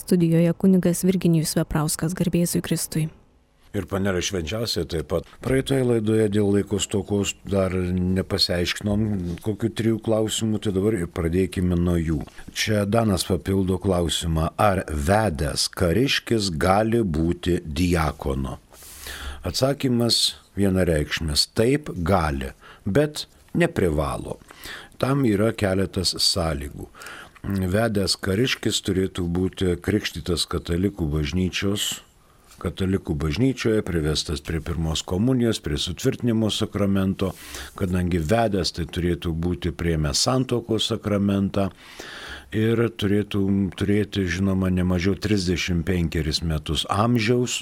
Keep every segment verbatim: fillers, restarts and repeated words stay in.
studijoje kunigas Virginijus Veprauskas, garbė Jėzui Kristui. Ir panelė švenčiausia taip pat. Praeitoje laidoje dėl laiko stokos dar nepasiaiškinom kokių trijų klausimų, tai dabar ir pradėkime nuo jų. Čia Danas papildo klausimą, ar vedęs kariškis gali būti diakonu? Atsakymas vienareikšmis, taip gali, bet neprivalo. Tam yra keletas sąlygų. Vedęs kariškis turėtų būti krikštytas katalikų bažnyčios, katalikų bažnyčioje, privestas prie pirmos komunijos, prie sutvirtinimo sakramento, kadangi vedęs tai turėtų būti priėmęs santuokos sakramentą ir turėtų turėti, žinoma, ne mažiau trisdešimt penkerius metus amžiaus,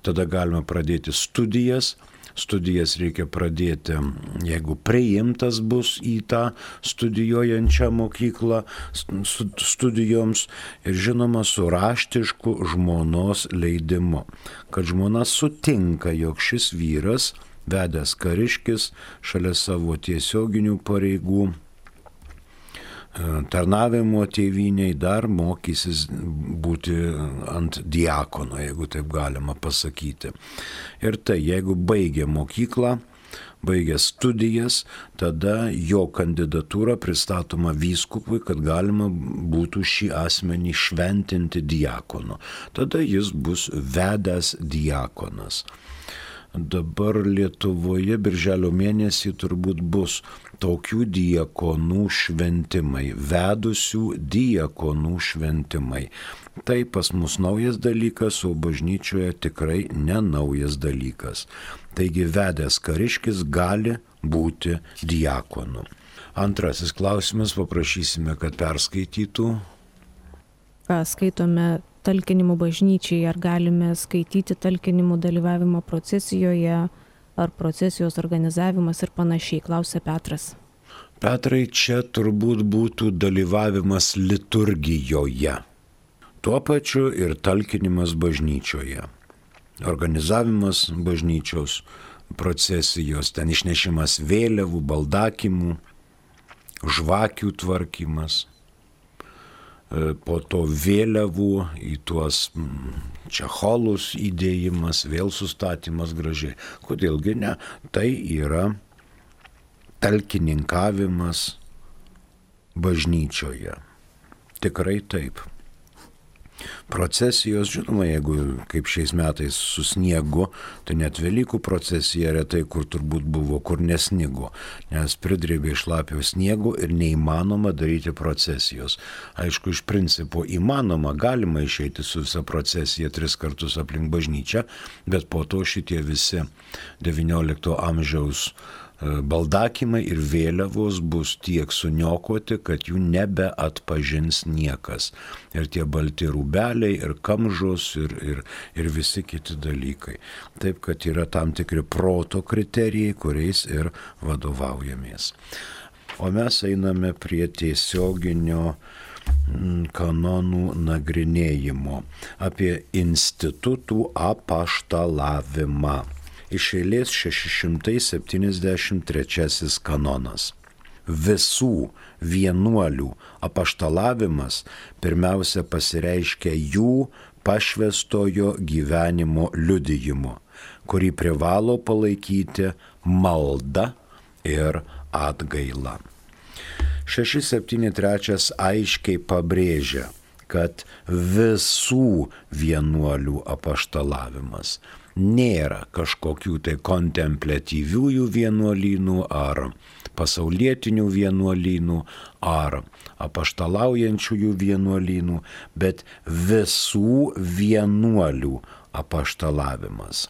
tada galima pradėti studijas. Studijas reikia pradėti, jeigu priimtas bus į tą studijuojančią mokyklą studijoms ir žinoma su raštišku žmonos leidimu, kad žmona sutinka, jog šis vyras, vedęs kariškis, šalia savo tiesioginių pareigų, tarnavimo tėvynei dar mokysis būti ant diakono, jeigu taip galima pasakyti. Ir tai, jeigu baigė mokyklą, baigė studijas, tada jo kandidatūra pristatoma vyskupui, kad galima būtų šį asmenį šventinti diakonu. Tada jis bus vedęs diakonas. Dabar Lietuvoje birželio mėnesį turbūt bus tokių diakonų šventimai, vedusių diakonų šventimai. Tai pas mus naujas dalykas, o bažnyčioje tikrai ne naujas dalykas. Taigi vedęs kariškis gali būti diakonu. Antrasis klausimas, paprašysime, kad perskaitytų. Skaitome talkinimų bažnyčiai, ar galime skaityti talkinimų dalyvavimo procesijoje, ar procesijos organizavimas ir panašiai, klausia Petras. Petrai, čia turbūt būtų dalyvavimas liturgijoje, tuo pačiu ir talkinimas bažnyčioje. Organizavimas bažnyčios procesijos, ten išnešimas vėliavų, baldakimų, žvakių tvarkymas. Po to vėliavų į tuos čecholus įdėjimas, vėl sustatymas gražiai. Kodėlgi ne? Tai yra talkininkavimas bažnyčioje. Tikrai taip. Procesijos, žinoma, jeigu kaip šiais metais su sniegu, tai net Velykų procesija retai kur turbūt buvo, kur nesnigo, nes pridrėbė šlapio sniego ir neįmanoma daryti procesijos. Aišku, iš principo įmanoma, galima išeiti su visa procesija tris kartus aplink bažnyčią, bet po to šitie visi devyniolikto amžiaus baldakimai ir vėliavos bus tiek suniokoti, kad jų nebeatpažins niekas. Ir tie balti rūbeliai, ir kamžos, ir, ir, ir visi kiti dalykai. Taip, kad yra tam tikri proto kriterijai, kuriais ir vadovaujamės. O mes einame prie tiesioginio kanonų nagrinėjimo apie institutų apaštalavimą. Iš eilės šeši šimtai septyniasdešimt trečiasis kanonas. Visų vienuolių apaštalavimas pirmiausia pasireiškia jų pašvęstojo gyvenimo liudijimu, kurį privalo palaikyti malda ir atgaila. šeši septyni trečias aiškiai pabrėžia, kad visų vienuolių apaštalavimas nėra kažkokių tai kontempliatyviųjų vienuolynų ar pasaulietinių vienuolynų ar apaštalaujančiųjų vienuolynų, bet visų vienuolių apaštalavimas.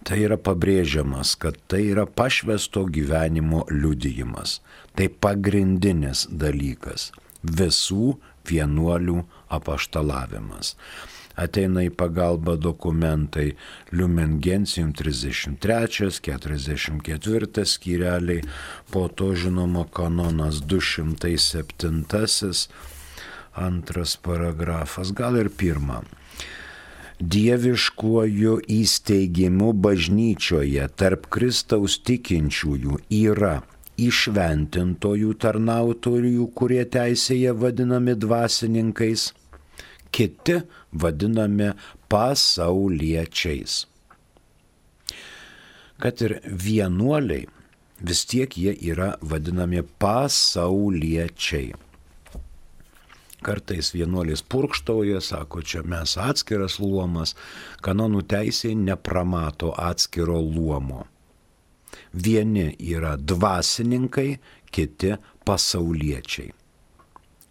Tai yra pabrėžiamas, kad tai yra pašvęsto gyvenimo liudijimas. Tai pagrindinis dalykas. Visų vienuolių apaštalavimas. Ateina į pagalbą dokumentai Lumen Gentium trisdešimt trečias, keturiasdešimt ketvirtas skyreliai, po to žinoma kanonas du šimtai septintasis, antras paragrafas, gal ir pirmą. Dieviškuoju įsteigimu bažnyčioje tarp Kristaus tikinčiųjų yra įšventintojų tarnautojų, kurie teisėje vadinami dvasininkais, kiti vadinami pasauliečiais. Kad ir vienuoliai, vis tiek jie yra vadinami pasauliečiai. Kartais vienuolis purkštauja, sako, čia mes atskiras luomas, kanonų teisėje nepramato atskiro luomo. Vieni yra dvasininkai, kiti pasauliečiai.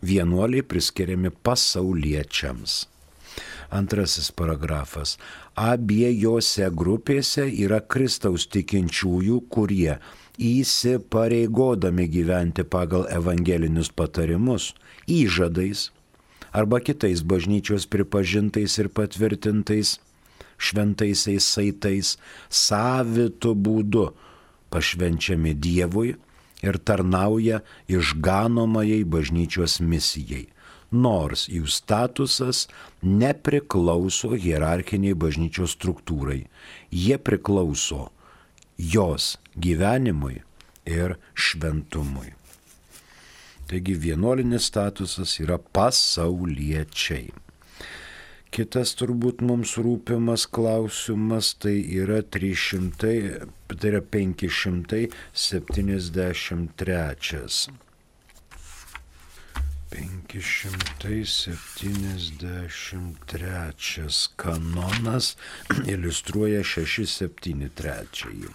Vienuoliai priskiriami pasauliečiams. Antrasis paragrafas. Abiejose grupėse yra Kristaus tikinčiųjų, kurie įsipareigodami gyventi pagal evangelinius patarimus, įžadais arba kitais bažnyčios pripažintais ir patvirtintais šventaisiais saitais savitu būdu pašvenčiami Dievui ir tarnauja išganomajai bažnyčios misijai, nors jų statusas nepriklauso hierarchiniai bažnyčios struktūrai, jie priklauso jos gyvenimui ir šventumui. Taigi vienuolinis statusas yra pasauliečiai. Kitas turbūt mums rūpimas klausimas tai yra trys šimtai, tai yra penki šimtai septyniasdešimt trečias. penki šimtai septyniasdešimt trečias kanonas iliustruoja šeši septyni trys.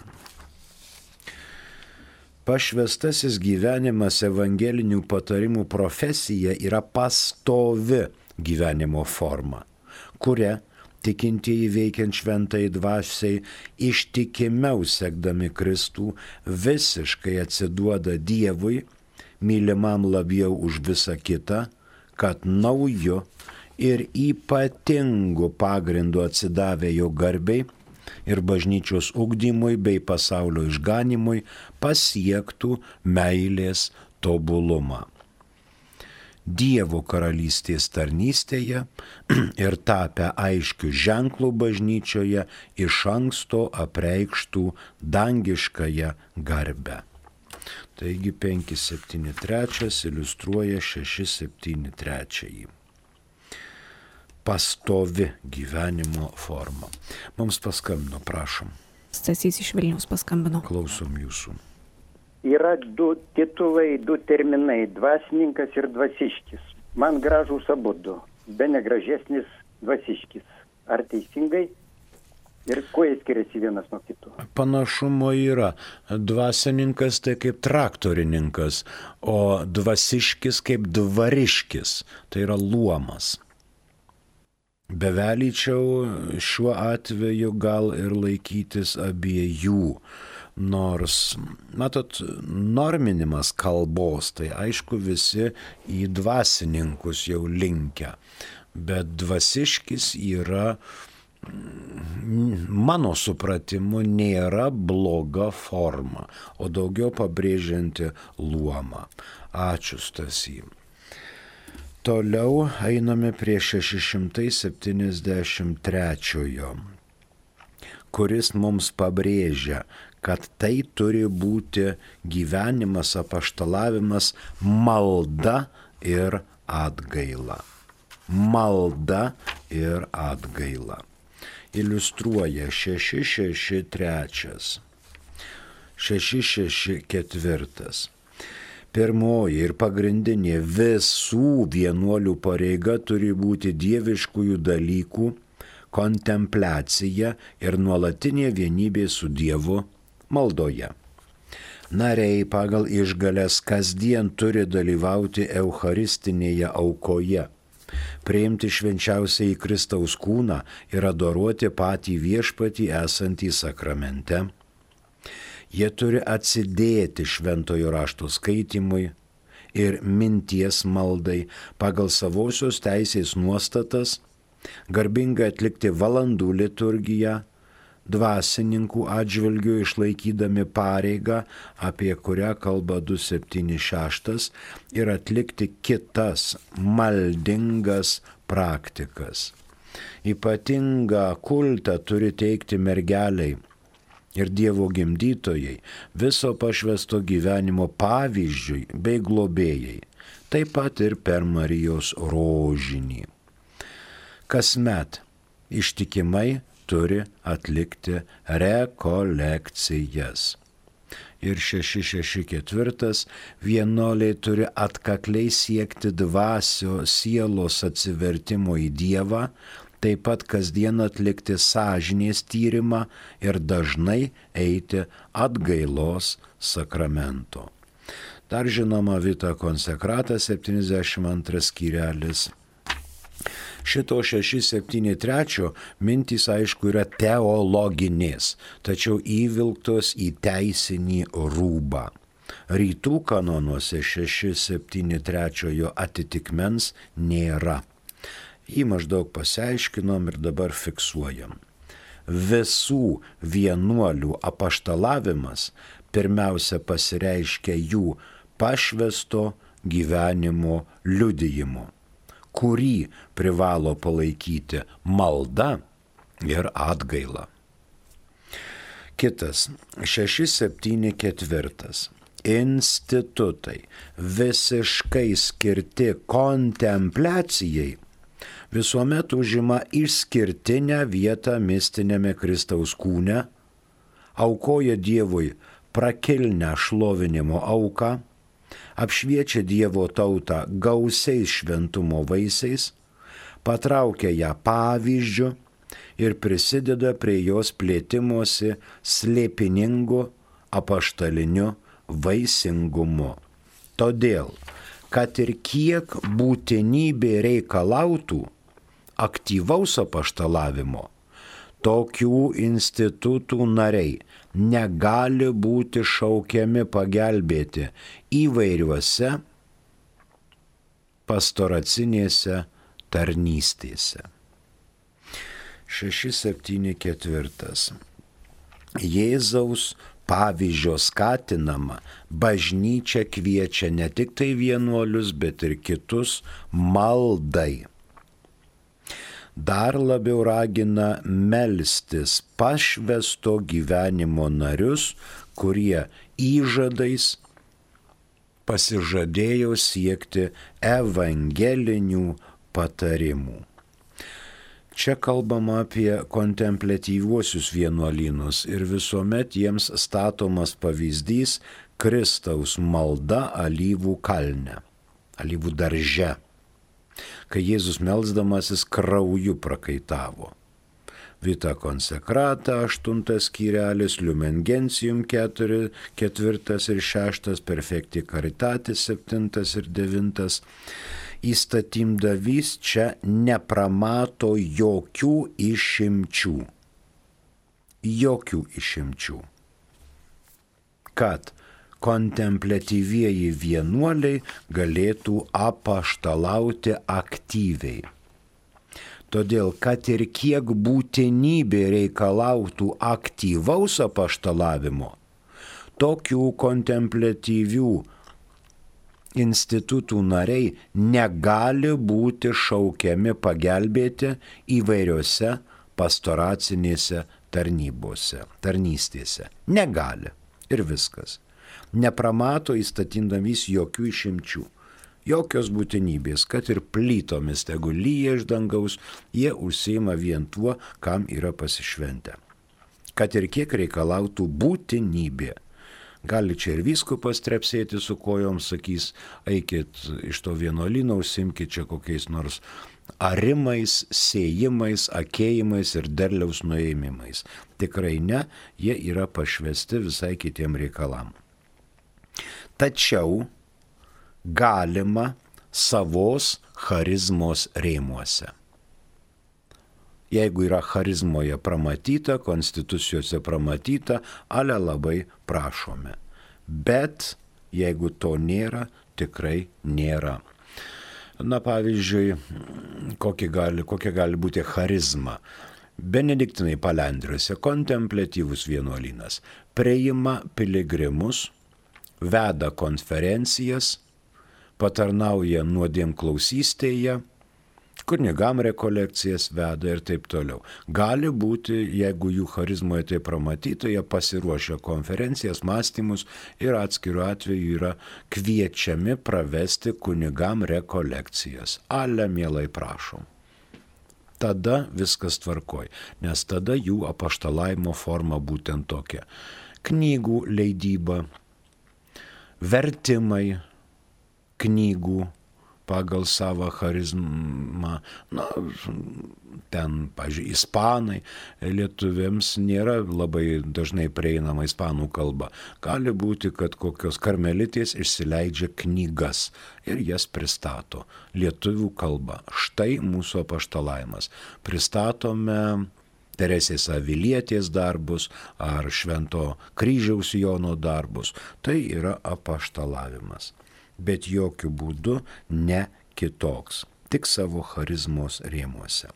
Pašvestasis gyvenimas evangelinių patarimų profesija yra pastovi gyvenimo forma, kuria tikintieji veikiant šventai dvasiai ištikimiau sekdami Kristų visiškai atsiduoda Dievui, mylimam labiau už visą kitą, kad nauju ir ypatingu pagrindu atsidavę jo garbei ir bažnyčios ugdymui bei pasaulio išganimui pasiektų meilės tobulumą. Dievo karalystės tarnystėje ir tapę aiškių ženklų bažnyčioje iš anksto apreikštų dangiškąją garbę. Taigi penki septyni trys iliustruoja šeši septyni trys. Pastovi gyvenimo forma. Mums paskambino, prašom. Stasys iš Vilniaus paskambino. Klausom jūsų. Yra du titulai, du terminai – dvasininkas ir dvasiškis. Man gražūs abudu, be negražesnis dvasiškis. Ar teisingai? Ir kuo jie skiriasi vienas nuo kitų? Panašumo yra. Dvasininkas tai kaip traktorininkas, o dvasiškis kaip dvariškis. Tai yra luomas. Bevelyčiau šiuo atveju gal ir laikytis abiejų, nors, matot, norminimas kalbos, tai aišku visi į dvasininkus jau linkę, bet dvasiškis yra, mano supratimu, nėra bloga forma, o daugiau pabrėžianti luomą. Ačiū, Stasy. Toliau einame prie šeši šimtai septyniasdešimt trečiojo, kuris mums pabrėžia, kad tai turi būti gyvenimas, apaštalavimas, malda ir atgaila. Malda ir atgaila. Iliustruoja šeši šeši trys. šeši šeši keturi. Pirmoji ir pagrindinė visų vienuolių pareiga turi būti dieviškųjų dalykų kontempliacija ir nuolatinė vienybė su Dievu maldoje. Nariai pagal išgales kasdien turi dalyvauti eucharistinėje aukoje, priimti švenčiausiai Kristaus kūną ir adoruoti patį viešpatį esantį sakramente. Jie turi atsidėti šventojo rašto skaitimui ir minties maldai pagal savosios teisės nuostatas, garbingai atlikti valandų liturgiją, dvasininkų atžvilgių išlaikydami pareigą, apie kurią kalba du septyni šeši, ir atlikti kitas maldingas praktikas. Ypatingą kultą turi teikti mergeliai ir Dievo gimdytojai, viso pašvesto gyvenimo pavyzdžiui bei globėjai, taip pat ir per Marijos rožinį. kasmet ištikimai turi atlikti rekolekcijas. Ir šeši šeši ketvirtas vienuoliai turi atkakliai siekti dvasio sielos atsivertimo į Dievą, taip pat kasdien atlikti sąžinės tyrimą ir dažnai eiti atgailos sakramento. Dar žinoma Vita Konsekrata septyniasdešimt antras skyrelis. Šito šeši septyni trečio mintys aišku yra teologinės, tačiau įvilktos į teisinį rūbą. Rytų kanonuose šeši septyni trečiojo atitikmens nėra. Jį maždaug pasiaiškinom ir dabar fiksuojam. Visų vienuolių apaštalavimas pirmiausia pasireiškia jų pašvęsto gyvenimo liudijimu, kurį privalo palaikyti malda ir atgaila. Kitas, šeši septyni ketvirtas. Institutai visiškai skirti kontempliacijai visuomet užima išskirtinę vietą mistinėme Kristaus kūne, aukoja Dievui prakilnę šlovinimo auką, apšviečia Dievo tautą gausiais šventumo vaisiais, patraukia ją pavyzdžiu ir prisideda prie jos plėtimosi slėpiningu apaštaliniu vaisingumu. Todėl, kad ir kiek būtinybė reikalautų aktyvaus apaštalavimo, tokių institutų nariai negali būti šaukiami pagelbėti įvairiuose pastoracinėse tarnystėse. šeši septyni ketvirtas. Jėzaus pavyzdžio skatinama bažnyčia kviečia ne tik tai vienuolius, bet ir kitus maldai. Dar labiau ragina melstis pašvęsto gyvenimo narius, kurie įžadais pasižadėjo siekti evangelinių patarimų. Čia kalbama apie kontempliatyviuosius vienuolynus ir visuomet jiems statomas pavyzdys Kristaus malda alyvų kalne, alyvų darže, kai Jėzus melsdamasis krauju prakaitavo. Vita Konsekrata, aštuntas skyrelis, Lumen Gentium keturi, ketvirtas ir šeštas, Perfecti Caritatis septintas ir devintas. Įstatymdavys čia nepramato jokių išimčių. Jokių išimčių. Kad kontempliatyvieji vienuoliai galėtų apaštalauti aktyviai. Todėl, kad ir kiek būtinybė reikalautų aktyvaus apaštalavimo, tokių kontempliatyvių institutų nariai negali būti šaukiami pagelbėti įvairiose pastoracinėse tarnybose, tarnystėse. Negali. Ir viskas. Nepramato įstatymdavys jokių išimčių. Jokios būtinybės, kad ir plytomis tegu lyja iš dangaus, jie užsiima vien tuo, kam yra pasišventę. Kad ir kiek reikalautų būtinybė. Gali čia ir vyskupas trepsėti su kojom, sakys, eikit iš to vienuolyno, užsimkit čia kokiais nors arimais, sėjimais, akėjimais ir derliaus nuėmimais. Tikrai ne, jie yra pašvesti visai kitiem reikalam. Tačiau galima savos charizmos rėmuose. Jeigu yra charizmoje pramatyta, konstitucijose pramatyta, ale labai prašome. Bet jeigu to nėra, tikrai nėra. Na pavyzdžiui, kokia gali, kokia gali būti charizma. Benediktinai Palendriuose kontempliatyvus vienuolynas priima piligrimus, veda konferencijas, patarnauja nuodėmklausystėje, kunigam rekolekcijas veda ir taip toliau. Gali būti, jeigu jų charizmoje tai pramatyta, jie pasiruošia konferencijas, mąstymus ir atskiru atveju yra kviečiami pravesti kunigam rekolekcijas. Ale mielai prašom. tada viskas tvarkoj, nes tada jų apaštalavimo forma būtent tokia. Knygų leidyba, vertimai knygų pagal savo charizmą, na, ten, pažiūrėjau, ispanai, lietuviams nėra labai dažnai prieinama ispanų kalba. Gali būti, kad kokios karmelitės išsileidžia knygas ir jas pristato lietuvių kalba. Štai mūsų apaštalavimas. Pristatome Teresės Avilietės darbus ar Švento kryžiaus Jono darbus. Tai yra apaštalavimas. Bet jokių būdų ne kitoks, tik savo charizmos rėmuose.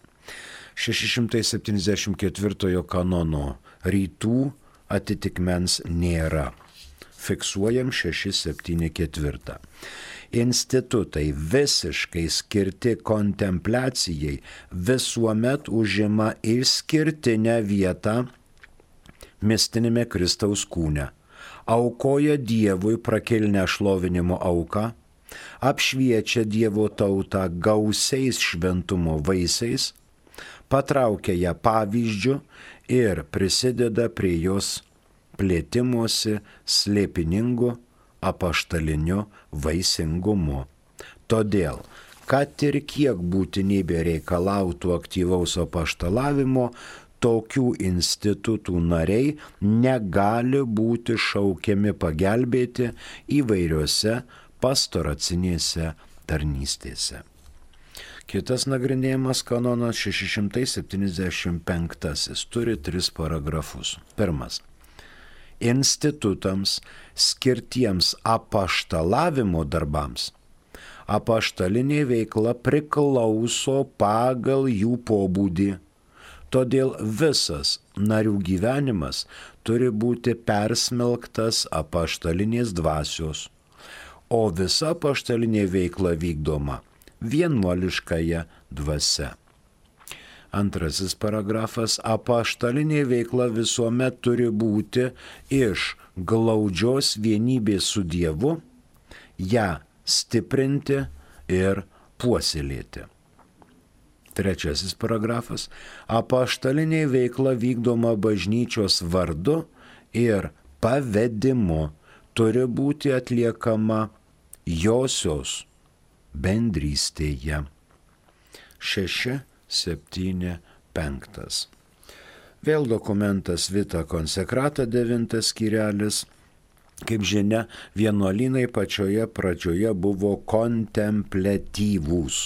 šeši šimtai septyniasdešimt ketvirtojo kanono rytų atitikmens nėra. Fiksuojam šeši septyni ketvirtą. Institutai visiškai skirti kontempliacijai visuomet užima išskirtinę vietą mistinėme Kristaus kūne. Aukoja Dievui prakilnę šlovinimo auką, apšviečia Dievo tautą gausiais šventumo vaisiais, patraukia ją pavyzdžiu ir prisideda prie jos plėtimosi slėpiningu apaštaliniu vaisingumu. Todėl, kad ir kiek būtinybė reikalautų aktyvaus apaštalavimo, tokių institutų nariai negali būti šaukiami pagelbėti įvairiose pastoracinėse tarnystėse. Kitas nagrinėjimas kanonas šeši šimtai septyniasdešimt penktasis turi tris paragrafus. Pirmas. Institutams skirtiems apaštalavimo darbams apaštalinė veikla priklauso pagal jų pobūdį. Todėl visas narių gyvenimas turi būti persmelktas apaštalinės dvasios, o visa apaštalinė veikla vykdoma vienuoliškąja dvasia. Antrasis paragrafas. Apaštalinė veikla visuomet turi būti iš glaudžios vienybės su Dievu, ją stiprinti ir puoselėti. Trečiasis paragrafas. Apaštalinė veikla vykdoma bažnyčios vardu ir pavedimu turi būti atliekama josios bendrystėje. Šeši, septyni, penktas. Vėl dokumentas Vita Konsekrata, devintas skyrelis. Kaip žinia, vienuolynai pačioje pradžioje buvo kontempliatyvūs.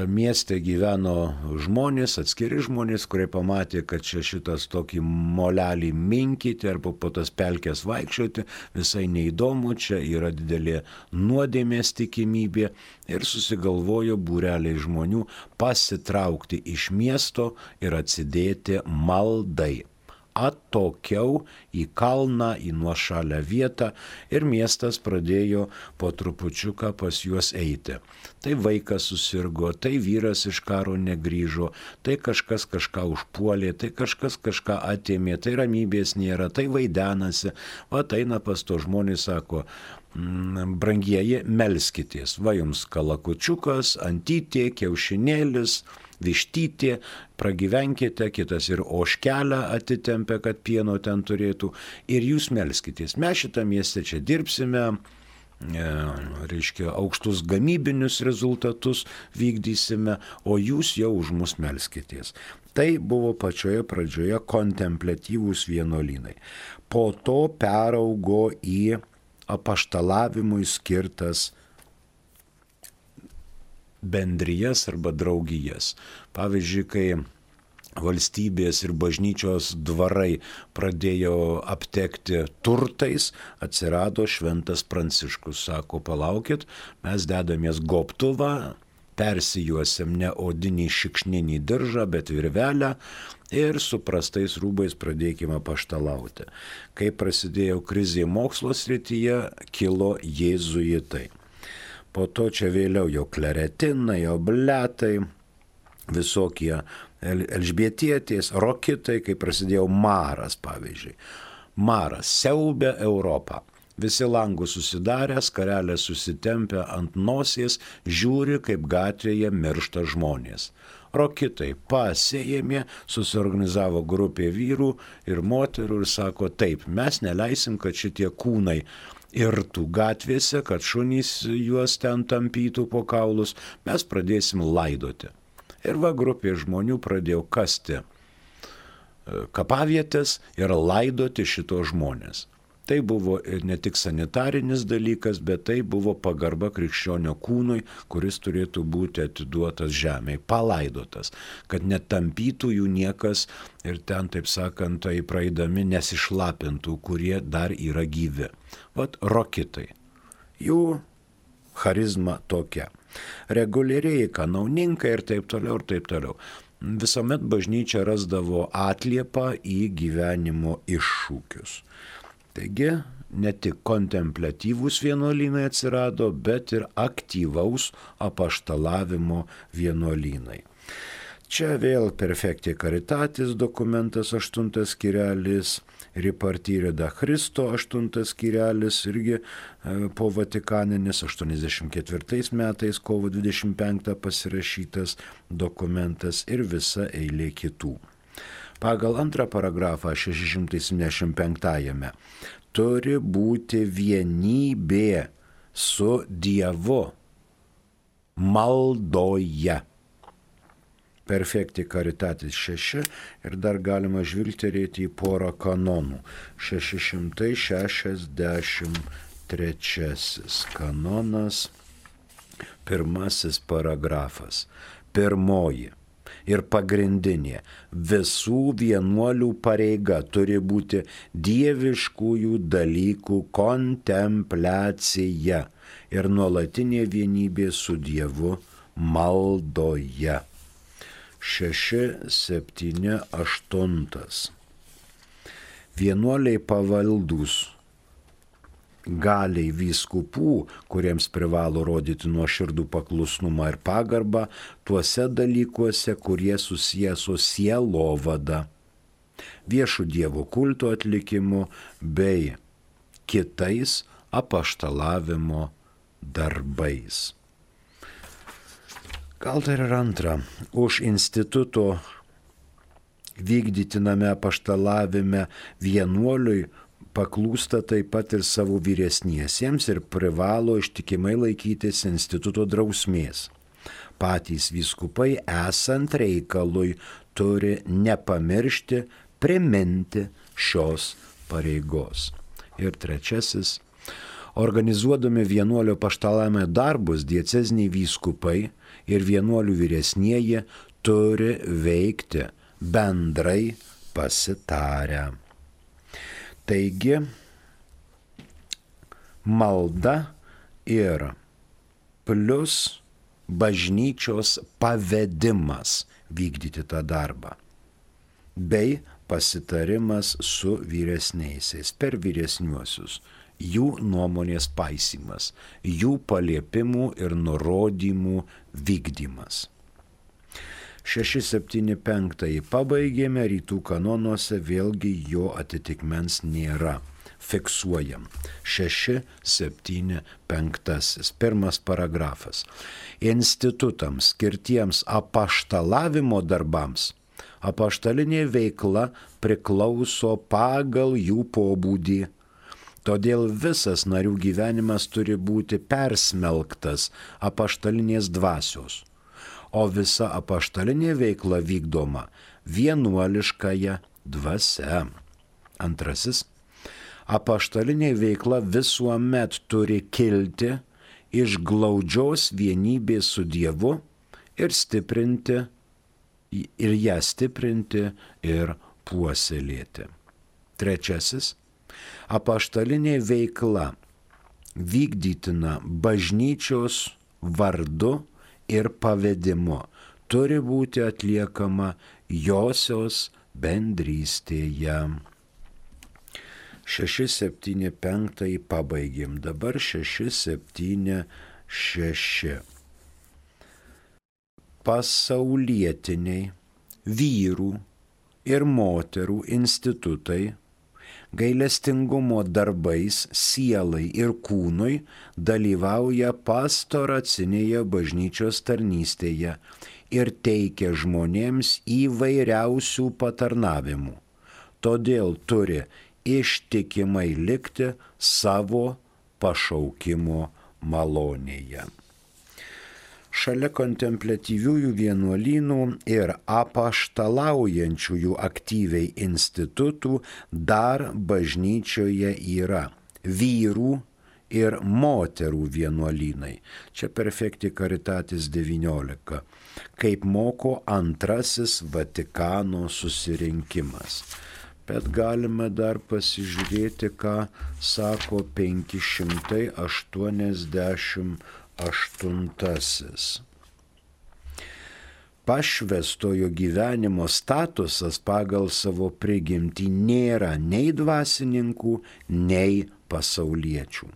Mieste gyveno žmonės, atskiri žmonės, kurie pamatė, kad čia šitas tokį molelį minkyti arba po tas pelkės vaikščioti, visai neįdomu, čia yra didelė nuodėmės tikimybė ir susigalvojo būreliai žmonių pasitraukti iš miesto ir atsidėti maldai. Atokiau į kalną, į nuošalę vietą ir miestas pradėjo po trupučiuką pas juos eiti. Tai vaikas susirgo, tai vyras iš karo negrįžo, tai kažkas kažką užpuolė, tai kažkas kažką atėmė, tai ramybės nėra, tai vaidenasi. Va eina pas to žmonės, sako, brangieji, melskitės, va jums kalakučiukas, antytė, kiaušinėlis, vištytė, pragyvenkite, kitas ir ožkelę atitempia, kad pieno ten turėtų, ir jūs melskitės. Mes šitą miestę čia dirbsime, e, reiškia, aukštus gamybinius rezultatus vykdysime, o jūs jau už mus melskitės. Tai buvo pačioje pradžioje kontempliatyvūs vienuolynai. Po to peraugo į apaštalavimui skirtas bendrijas arba draugijas. Pavyzdžiui, kai valstybės ir bažnyčios dvarai pradėjo aptekti turtais, atsirado Šventas Pranciškus. Sako, palaukit, mes dedamės gobtuvą, persijuosim ne odinį šikšninį diržą, bet virvelę ir su prastais rūbais pradėkime apaštalauti. Kai prasidėjo krizė mokslo srityje, kilo jėzuitai. Po to čia vėliau jau kleretinai, obletai, visokie elžbietietės, rokitai, kai prasidėjo maras, pavyzdžiui. Maras siaubė Europą. Visi langus susidarę, skarelę susitempę ant nosies, žiūri, kaip gatvėje miršta žmonės. Rokitai pasėjėmė, susiorganizavo grupė vyrų ir moterų ir sako, taip, mes neleisim, kad šitie kūnai irtų gatvėse, kad šunys juos ten tampytų po kaulus, mes pradėsim laidoti. Ir va grupė žmonių pradėjo kasti kapavietės ir laidoti šito žmonės. Tai buvo ne tik sanitarinis dalykas, bet tai buvo pagarba krikščionio kūnui, kuris turėtų būti atiduotas žemėje, palaidotas, kad netampytų jų niekas ir ten, taip sakant, tai praeidami nesišlapintų, kurie dar yra gyvi. Vat rokitai. Jų charizma tokia. Reguliariai kanauninkai ir taip toliau ir taip toliau. Visuomet bažnyčia rasdavo atliepą į gyvenimo iššūkius. Taigi, ne tik kontempliatyvūs vienuolynai atsirado, bet ir aktyvaus apaštalavimo vienuolynai. Čia vėl Perfecti Caritatis dokumentas aštuntas skyrelis, Ripartire da Christo aštuntas skyrelis, irgi po Vatikaninis aštuoniasdešimt ketvirtais metais kovo dvidešimt penktą pasirašytas dokumentas ir visa eilė kitų. Pagal antrą paragrafą šeši šimtai septyniasdešimt penktame turi būti vienybė su Dievu maldoje. Perfecti Caritatis šeši ir dar galima žvilgterėti į porą kanonų. šeši šimtai šešiasdešimt trečiasis kanonas, pirmasis paragrafas, pirmoji. Ir pagrindinė, visų vienuolių pareiga turi būti dieviškųjų dalykų kontempliacija ir nuolatinė vienybė su Dievu maldoje. šeši, septyni, aštuntas. Vienuoliai pavaldūs galiai vyskupų, kuriems privalo rodyti nuoširdų paklusnumą ir pagarbą tuose dalykuose, kurie susiję su sielovada, viešų Dievo kulto atlikimu bei kitais apaštalavimo darbais. Gal dar ir antra, už instituto vykdytiname apaštalavime vienuoliui paklūsta taip pat ir savo vyresniesiems ir privalo ištikimai laikytis instituto drausmės. Patys vyskupai esant reikalui turi nepamiršti, priminti šios pareigos. Ir trečiasis, organizuodami vienuolio apaštalavimo darbus, dieceziniai vyskupai ir vienuolių vyresnieji turi veikti bendrai pasitarę. Taigi, malda ir plus bažnyčios pavedimas vykdyti tą darbą, bei pasitarimas su vyresniaisiais per vyresniuosius, jų nuomonės paisymas, jų paliepimų ir nurodymų vykdymas. šeši septyni penktąjį pabaigėme, rytų kanonuose vėlgi jo atitikmens nėra. Fiksuojam. šeši septyni penktasis. Pirmas paragrafas. Institutams skirtiems apaštalavimo darbams apaštalinė veikla priklauso pagal jų pobūdį. Todėl visas narių gyvenimas turi būti persmelktas apaštalinės dvasios, o visa apaštalinė veikla vykdoma vienuoliškąja dvasia. Antrasis, apaštalinė veikla visuomet turi kilti iš glaudžios vienybės su Dievu ir stiprinti, ir ją stiprinti ir puoselėti. Trečiasis, apaštalinė veikla vykdytina bažnyčios vardu ir pavedimu turi būti atliekama josios bendrystėje. šeši septyni penktąjį pabaigėm, dabar šeši septyni šeši. Pasaulietiniai vyrų ir moterų institutai Gailestingumo darbais sielai ir kūnui dalyvauja pastoracinėje bažnyčios tarnystėje ir teikia žmonėms įvairiausių patarnavimų. Todėl turi ištikimai likti savo pašaukimo malonėje. Šalia kontempliatyviųjų vienuolynų ir apaštalaujančiųjų aktyviai institutų dar bažnyčioje yra vyrų ir moterų vienuolynai. Čia Perfecti Caritatis devyniolika, kaip moko antrasis Vatikano susirinkimas. Bet galime dar pasižiūrėti, ką sako penki šimtai aštuoniasdešimt aštuntasis. Pašvestojo gyvenimo statusas pagal savo prigimtį nėra nei dvasininkų, nei pasauliečių.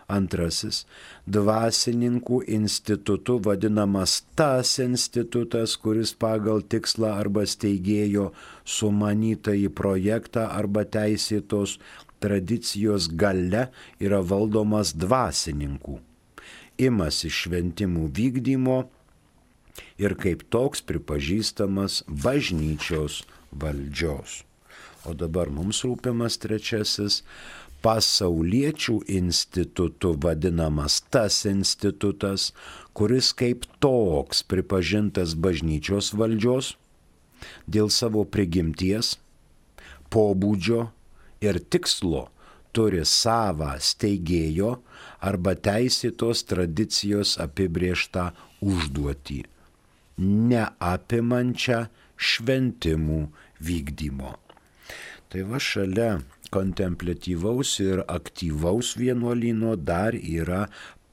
Antrasis, dvasininkų institutu vadinamas tas institutas, kuris pagal tikslą arba steigėjo sumanytąjį projektą arba teisėtos tradicijos galia yra valdomas dvasininkų. Imasi šventimų vykdymo ir kaip toks pripažįstamas bažnyčios valdžios. O dabar mums rūpimas trečiasis, pasauliečių institutu vadinamas tas institutas, kuris kaip toks pripažintas bažnyčios valdžios dėl savo prigimties, pobūdžio ir tikslo turi savą steigėjo arba teisėtos tradicijos apibrėžtą užduotį, neapimančią šventimų vykdymo. Tai va šalia kontempliatyvaus ir aktyvaus vienuolyno dar yra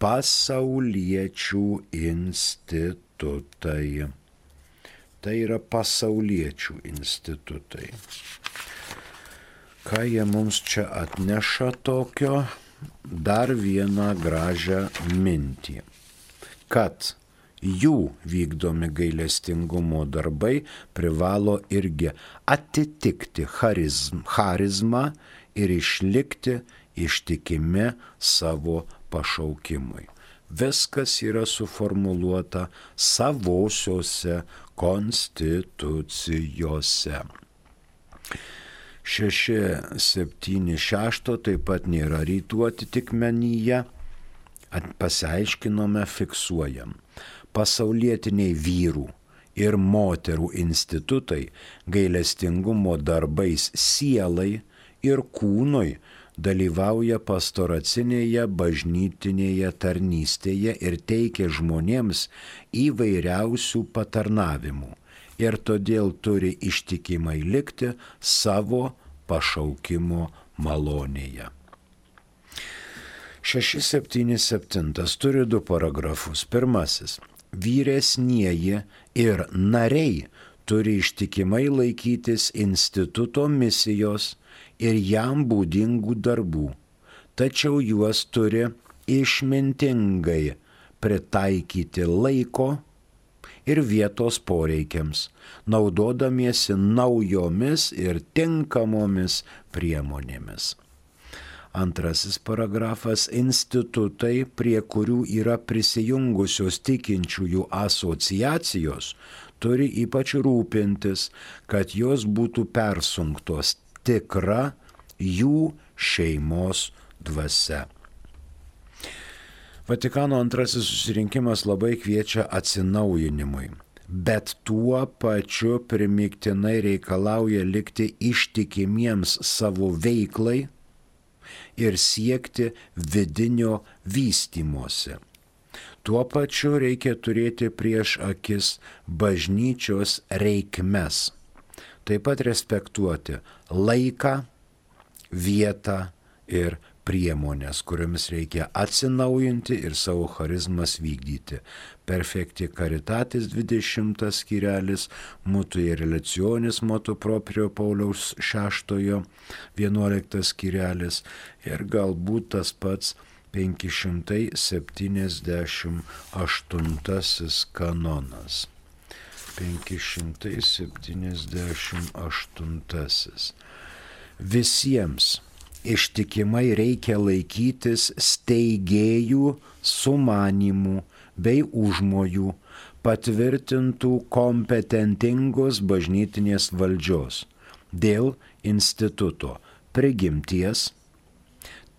pasauliečių institutai. Tai yra pasauliečių institutai. Ką jie mums čia atneša tokio? Dar vieną gražią mintį, kad jų vykdomi gailestingumo darbai privalo irgi atitikti charizm, charizmą ir išlikti ištikimi savo pašaukimui. Viskas yra suformuluota savosiose konstitucijose. šeši septyni šeši taip pat nėra rytų atitikmenyje. Pasiaiškinome, fiksuojam. Pasaulietiniai vyrų ir moterų institutai gailestingumo darbais sielai ir kūnui dalyvauja pastoracinėje bažnytinėje tarnystėje ir teikia žmonėms įvairiausių patarnavimų ir todėl turi ištikimai likti savo pašaukimo malonėje. šeši septyni septyni turi du paragrafus. Pirmasis. Vyresnieji ir nariai turi ištikimai laikytis instituto misijos ir jam būdingų darbų, tačiau juos turi išmintingai pritaikyti laiko ir vietos poreikiams, naudodamiesi naujomis ir tinkamomis priemonėmis. Antrasis paragrafas. Institutai, prie kurių yra prisijungusios tikinčiųjų asociacijos, turi ypač rūpintis, kad jos būtų persunktos tikra jų šeimos dvasia. Vatikano antrasis susirinkimas labai kviečia atsinaujinimui, bet tuo pačiu primygtinai reikalauja likti ištikimiems savo veiklai ir siekti vidinio vystymosi. Tuo pačiu reikia turėti prieš akis bažnyčios reikmes, taip pat respektuoti laiką, vietą ir priemonės, kuriomis reikia atsinaujinti ir savo charizmas vykdyti. Perfecti Caritatis dvidešimtas skyrelis, Mutu ir Relacionis motu proprio Pauliaus šeštojo vienuoliktas skyrelis ir galbūt tas pats penki šimtai septyniasdešimt aštuntasis kanonas. penki šimtai septyniasdešimt aštuntasis. Visiems ištikimai reikia laikytis steigėjų sumanimų bei užmojų patvirtintų kompetentingos bažnytinės valdžios dėl instituto prigimties,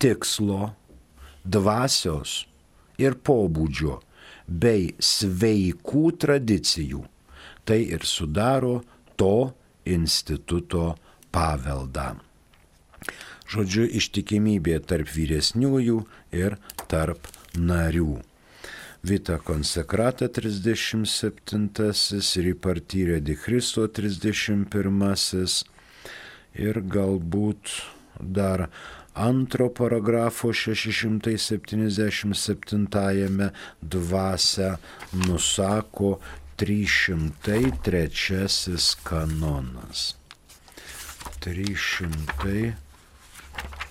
tikslo, dvasios ir pobūdžio bei sveikų tradicijų. Tai ir sudaro to instituto paveldą. Žodžiu, ištikimybė tarp vyresniųjų ir tarp narių. Vita Konsekrata trisdešimt septintasis, Ripartire di Christo trisdešimt pirmasis ir galbūt dar antro paragrafo šeši šimtai septyniasdešimt septintajame dvasią nusako trys šimtai trečiasis kanonas. trys šimtai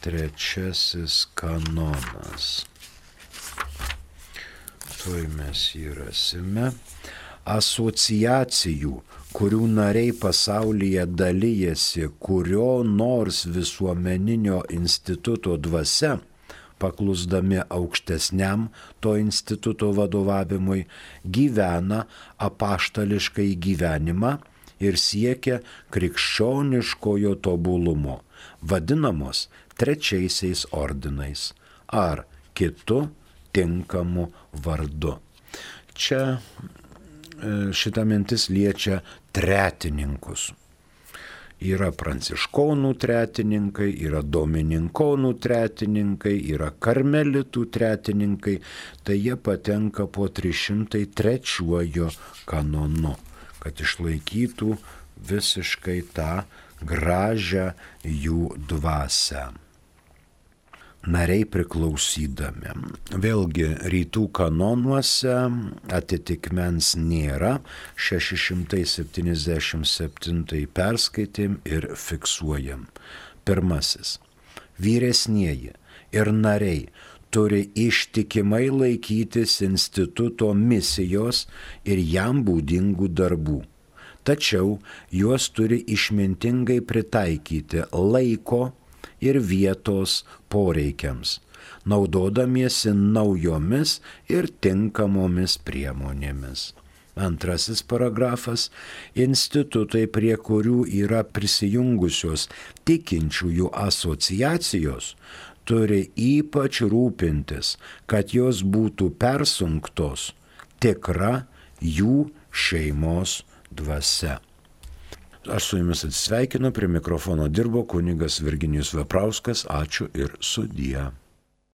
trečiasis kanonas. Tuoj mes jį rasime. Asociacijų, kurių nariai pasaulyje dalyjasi kurio nors visuomeninio instituto dvasia, paklusdami aukštesniam to instituto vadovavimui, gyvena apaštališkai gyvenimą ir siekia krikščioniškojo tobulumo, vadinamos trečiaisiais ordinais ar kitu tinkamu vardu. Čia šita mintis liečia tretininkus. Yra pranciškonų tretininkai, yra domininkonų tretininkai, yra karmelitų tretininkai, tai jie patenka po trys šimtai trečiuoju kanonu, kad išlaikytų visiškai tą gražią jų dvasią. Nariai priklausydami. Vėlgi rytų kanonuose atitikmens nėra, šeši šimtai septyniasdešimt septintai perskaitėm ir fiksuojam. Pirmasis. Vyresnieji ir nariai turi ištikimai laikytis instituto misijos ir jam būdingų darbų. Tačiau juos turi išmintingai pritaikyti laiko ir vietos poreikiams, naudodamiesi naujomis ir tinkamomis priemonėmis. Antrasis paragrafas. Institutai, prie kurių yra prisijungusios tikinčiųjų asociacijos, turi ypač rūpintis, kad jos būtų persunktos tikra jų šeimos dvasia. Aš su jumis atsisveikinu, prie mikrofono dirbo kunigas Virginijus Veprauskas, ačiū ir sudie.